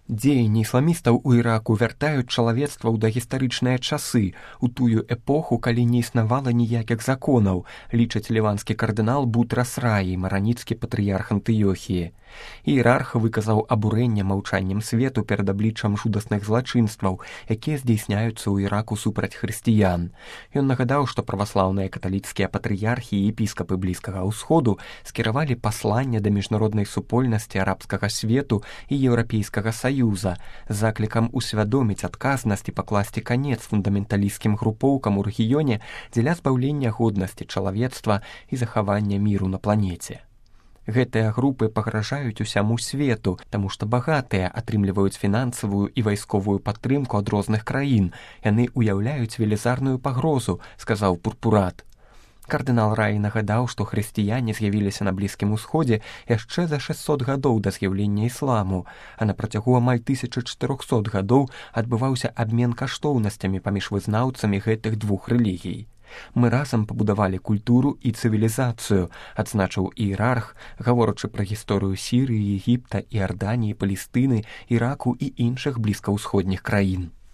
Дзеянні ісламістаў у Іраку вяртаюць чалавецтва ў дагістарычныя часы, у тую эпоху, калі не існавала ніякіх законаў, лічыць ліванскі кардынал Бутрас Раі, мараніцкі патрыярх Антыёхіі. Іерарх выказаў абурэнне маўчаннем свету перад абліччам жудасных злачынстваў, якія здзейсняюцца ў Іраку супраць хрысціян. Ён нагадаў, што праваслаўныя каталіцкія патрыярхі і епіскапы Блізкага ўсходу скіравалі пасланне да міжнароднай супольнасці арабскага свету і еўрапейскага саюза з заклікам усвядоміць адказнасць і пакласці канец фундаменталісцкім групоўкам у рэгіёне дзеля збаўлення годнасці чалавецтва і захавання міру на планеце. Гэтыя групы пагражаюць усяму свету, таму што багатыя атрымліваюць фінансавую і вайсковую падтрымку ад розных краін. Яны ўяўляюць велізарную пагрозу, сказаў Пурпурат. Кардынал Раі нагадаў, што хрысціяне з'явіліся на Блізкім Усходзе яшчэ за 600 гадоў да з'яўлення ісламу, а на працягу амаль 1400 гадоў адбываўся абмен каштоўнасцямі паміж вызнаўцамі гэтых двух рэлігій. Мы разам пабудавалі культуру і цывілізацыю, адзначыў іерарх, гаворачы пра гісторыю Сірыі, Егіпта, Іарданіі, Палестыны, Іраку і іншых блізкаўсходніх краін.